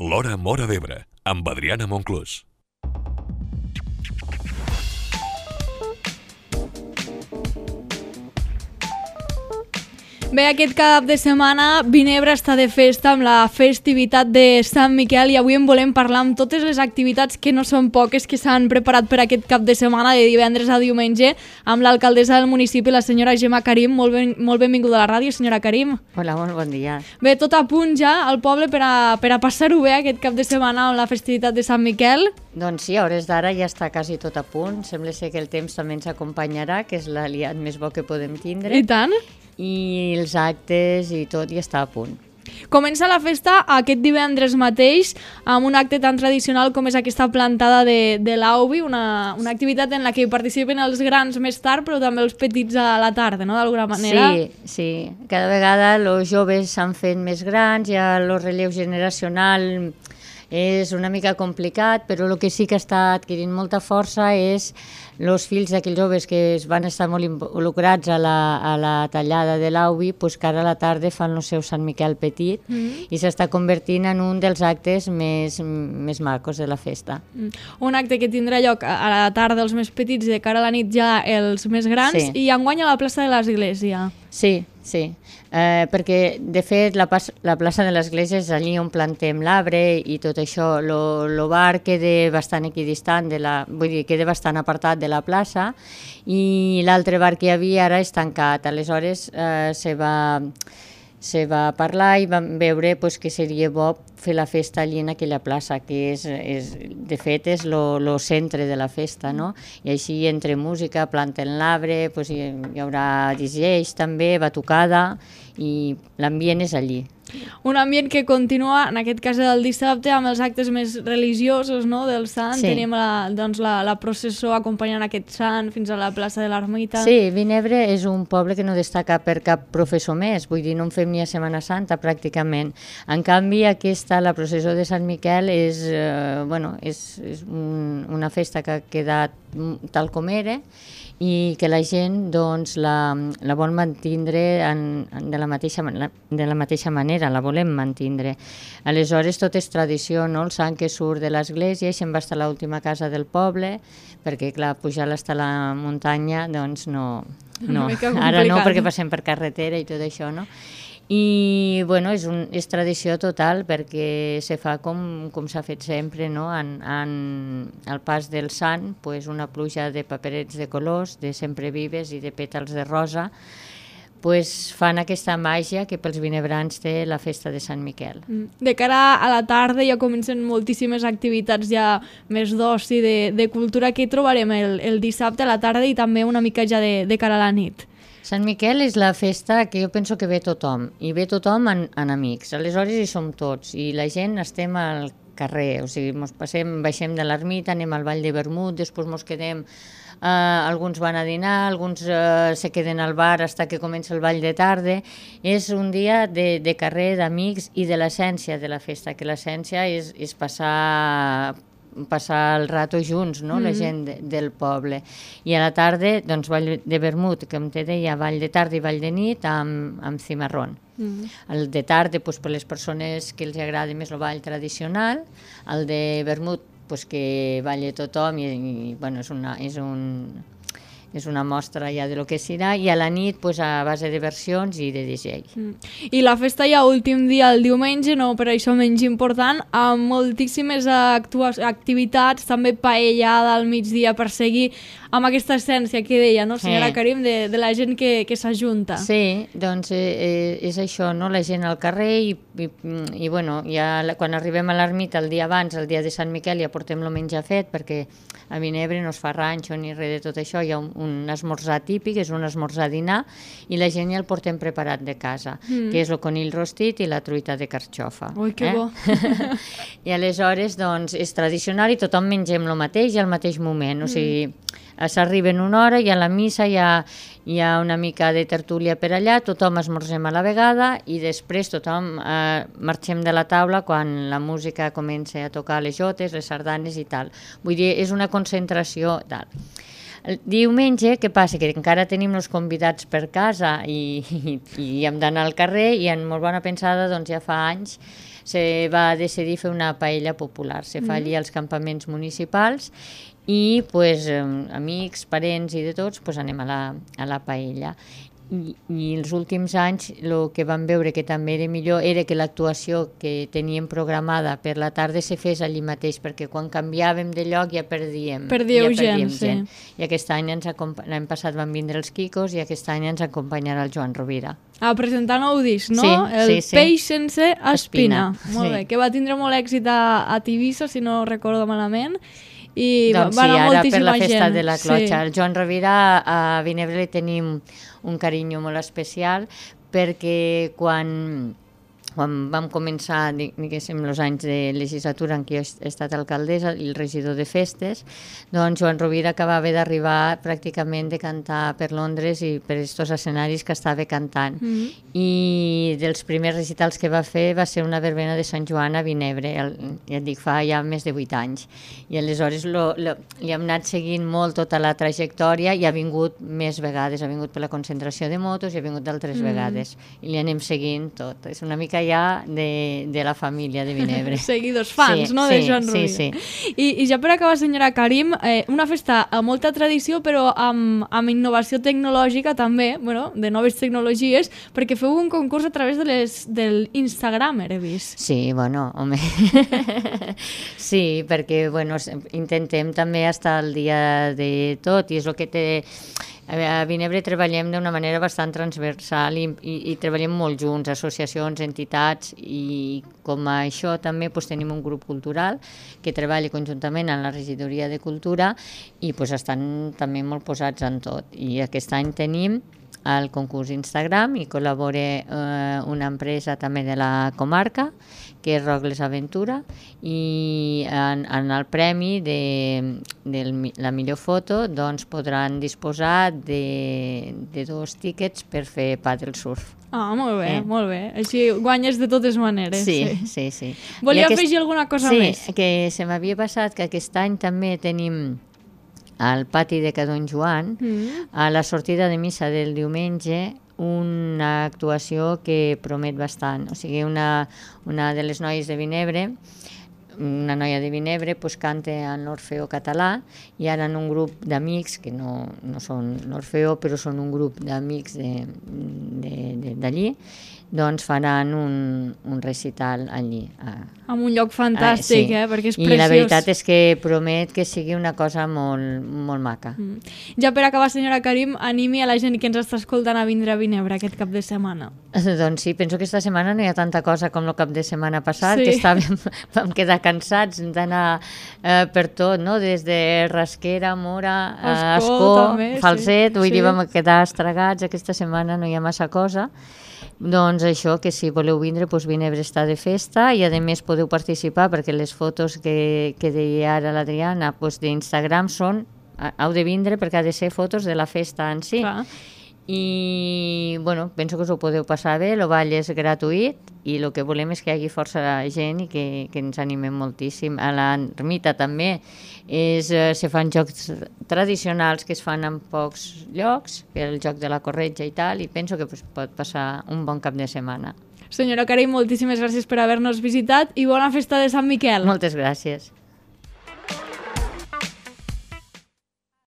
L'Hora Móra d'Ebre, amb Adriana Monclús. Bé, aquest cap de setmana Vinebre està de festa amb la festivitat de Sant Miquel i avui en volem parlar amb totes les activitats que no són poques que s'han preparat per aquest cap de setmana de divendres a diumenge amb l'alcaldessa del municipi, la senyora Gemma Karim. Molt benvinguda a la ràdio, senyora Karim. Hola, molt bon dia. Bé, tot a punt ja al poble per a passar-ho bé aquest cap de setmana amb la festivitat de Sant Miquel. Doncs sí, a hores d'ara ja està quasi tot a punt. Sembla ser que el temps també ens acompanyarà, que és l'aliat més bo que podem tindre. I tant. I els actes i tot ja està a punt. Comença la festa aquest divendres mateix amb un acte tan tradicional com és aquesta plantada de l'Aubi, una activitat en la que participen els grans més tard però també els petits a la tarda, no?, d'alguna manera. Sí. Cada vegada els joves s'han fet més grans, ja el relleu generacional és una mica complicat, però el que sí que està adquirint molta força és els fills d'aquells joves que van estar molt involucrats a la tallada de l'Aubi, doncs que ara a la tarda fan el seu Sant Miquel petit i s'està convertint en un dels actes més macos de la festa. Un acte que tindrà lloc a la tarda els més petits i de cara a la nit ja els més grans, i enguany a la plaça de l'Església. Sí. Perquè de fet la plaça de l'Església és allí on plantem l'arbre i tot això. El bar queda bastant equidistant, vull dir, queda bastant apartat de la plaça, i l'altre bar que hi havia ara és tancat. Aleshores se va parlar i vam veure que seria bo fer la festa allí en aquella plaça, que de fet és el centre de la festa, no? I així entre música, planten l'arbre, hi haurà DJs també, batucada, i l'ambient és allí. Un ambient que continua, en aquest cas del dissabte, amb els actes més religiosos, no?, del sant. Sí. Tenim la processó acompanyant aquest sant fins a la plaça de l'Ermita. Sí, Vinebre és un poble que no destaca per cap professor més, vull dir, no en fem ni a Setmana Santa pràcticament. En canvi, la processó de Sant Miquel és una festa que ha quedat tal com era i que la gent doncs, la vol mantindre de la mateixa manera, la volem mantindre. Aleshores tot és tradició, no? El sant que surt de l'església se'n va estar a l'última casa del poble, perquè clar, pujar hasta la muntanya doncs no. Ara no, perquè passem per carretera i tot això, no? I bueno, és tradició total perquè se fa com s'ha fet sempre, no? Al pas del sant, una pluja de paperets de colors, de sempre vives i de pètals de rosa, fan aquesta màgia que pels vinebrans té la festa de Sant Miquel. De cara a la tarda ja comencen moltíssimes activitats ja més d'oci, de cultura. Què trobarem el dissabte a la tarda i també una mica ja de cara a la nit? Sant Miquel és la festa que jo penso que ve tothom, i ve tothom en amics. Aleshores hi som tots, i la gent estem al carrer, o sigui, baixem de l'ermita, anem al Vall de Vermut, després mos quedem, alguns van a dinar, alguns se queden al bar fins que comença el ball de tarda. És un dia de carrer, d'amics i de l'essència de la festa, que l'essència és passar el rato junts, no? La gent del poble. I a la tarda, doncs, Vall de Vermut, com te deia, ball de tarda i ball de nit amb cimarrón. El de tarda, per les persones que els agrada més el ball tradicional, el de Vermut, que balla tothom i bueno, és una mostra ja de lo que serà, i a la nit a base de versions i de DJ. I la festa ja últim dia, el diumenge, no per això menys important, amb moltíssimes activitats, també paellada al migdia per seguir amb aquesta essència que deia, no, senyora Karim, de la gent que s'ajunta. Sí, doncs és això, no? La gent al carrer i bueno, ja quan arribem a l'ermita el dia abans, el dia de Sant Miquel, ja portem el menjar fet, perquè a Vinebre no es fa ranxo ni res de tot això, hi ha un esmorzar típic, és un esmorzar-dinar, i la gent ja el portem preparat de casa, que és el conill rostit i la truita de carxofa. Ui, que bo! I aleshores, doncs, és tradicional i tothom mengem el mateix i al mateix moment, o sigui, s'arriba en una hora i a la missa hi ha una mica de tertúlia per allà, tothom esmorzem a la vegada i després tothom marxem de la taula quan la música comença a tocar les jotes, les sardanes i tal. Vull dir, és una concentració tal. El diumenge, què passa? Que encara tenim els convidats per casa i hem d'anar al carrer i en molt bona pensada, doncs ja fa anys, se va decidir fer una paella popular. Se fa allí als campaments municipals i pues, amics, parents i de tots pues, anem a la paella. I els últims anys el que vam veure que també era millor era que l'actuació que teníem programada per la tarda se fes allí mateix, perquè quan canviàvem de lloc ja perdíem gent. I aquest any l'any passat van vindre els Quicos i aquest any ens acompanyarà el Joan Rovira. Presentar nou disc, no? Sí, el Peix sense espina. Molt bé, sí. que va tindre molt èxit a Tivissa, si no recordo malament. I doncs va anar ara per moltíssima la festa gent. de la clotxa. El Joan Rovira a Vinebre li tenim un carinyo molt especial perquè quan vam començar, diguéssim, els anys de legislatura en què he estat alcaldessa i el regidor de festes, doncs Joan Rovira acabava d'arribar pràcticament de cantar per Londres i per aquests escenaris que estava cantant. I dels primers recitals que va fer va ser una verbena de Sant Joan a Vinebre, ja et dic, fa ja més de 8 anys. I aleshores li hem anat seguint molt tota la trajectòria i ha vingut més vegades, ha vingut per la concentració de motos i ha vingut d'altres vegades. I li anem seguint tot. És una mica ja de la família de Vinebre. Seguidors, fans, no? De Joan Rovira. Sí. I ja per acabar, senyora Karim, una festa amb molta tradició, però amb innovació tecnològica també, bueno, de noves tecnologies, perquè feu un concurs a través de l'Instagram, he vist. Sí, bueno, home. Sí, perquè, bueno, intentem també estar al dia de tot i és el que té... A Vinebre treballem d'una manera bastant transversal i treballem molt junts, associacions, entitats, i com a això també pues, tenim un grup cultural que treballa conjuntament amb la regidoria de cultura i pues, estan també molt posats en tot. I aquest any tenim el concurs Instagram i col·labora una empresa també de la comarca que és Rogles Aventura i en el premi de la millor foto doncs podran disposar de 2 tíquets per fer paddle surf. Molt bé, molt bé. Així guanyes de totes maneres. Sí. Volia afegir alguna cosa més? Sí, que se m'havia passat que aquest any també tenim al pati de Cadon Joan, a la sortida de missa del diumenge, una actuació que promet bastant. O sigui, una de les noies de Vinebre, una noia de Vinebre, pues, canta en l'Orfeó català i ara en un grup d'amics, que no són l'Orfeó, però són un grup d'amics d'allí, doncs faran un recital allí. En un lloc fantàstic, sí. Perquè és preciós. I la veritat és que promet que sigui una cosa molt, molt maca. Ja per acabar, senyora Karim, animi a la gent que ens està escoltant a vindre a Vinebre aquest cap de setmana. Doncs sí, penso que aquesta setmana no hi ha tanta cosa com el cap de setmana passat, que vam quedar cansats d'anar per tot, no? Des de Rasquera, Mora, Ascó, Falset, vull dir, vam quedar estragats. Aquesta setmana no hi ha massa cosa. Doncs això, que si voleu vindre, doncs Vinebre està de festa i a més podeu participar perquè les fotos que deia ara l'Adriana d'Instagram són, heu de vindre perquè ha de ser fotos de la festa en si. Clar. I bueno, penso que us ho podeu passar bé, el ball és gratuït i el que volem és que hi hagi força gent i que ens animem moltíssim. A l'ermita també se fan jocs tradicionals que es fan en pocs llocs, que el joc de la corretja i tal, i penso que pot passar un bon cap de setmana. Senyora Karim, moltíssimes gràcies per haver-nos visitat i bona festa de Sant Miquel. Moltes gràcies.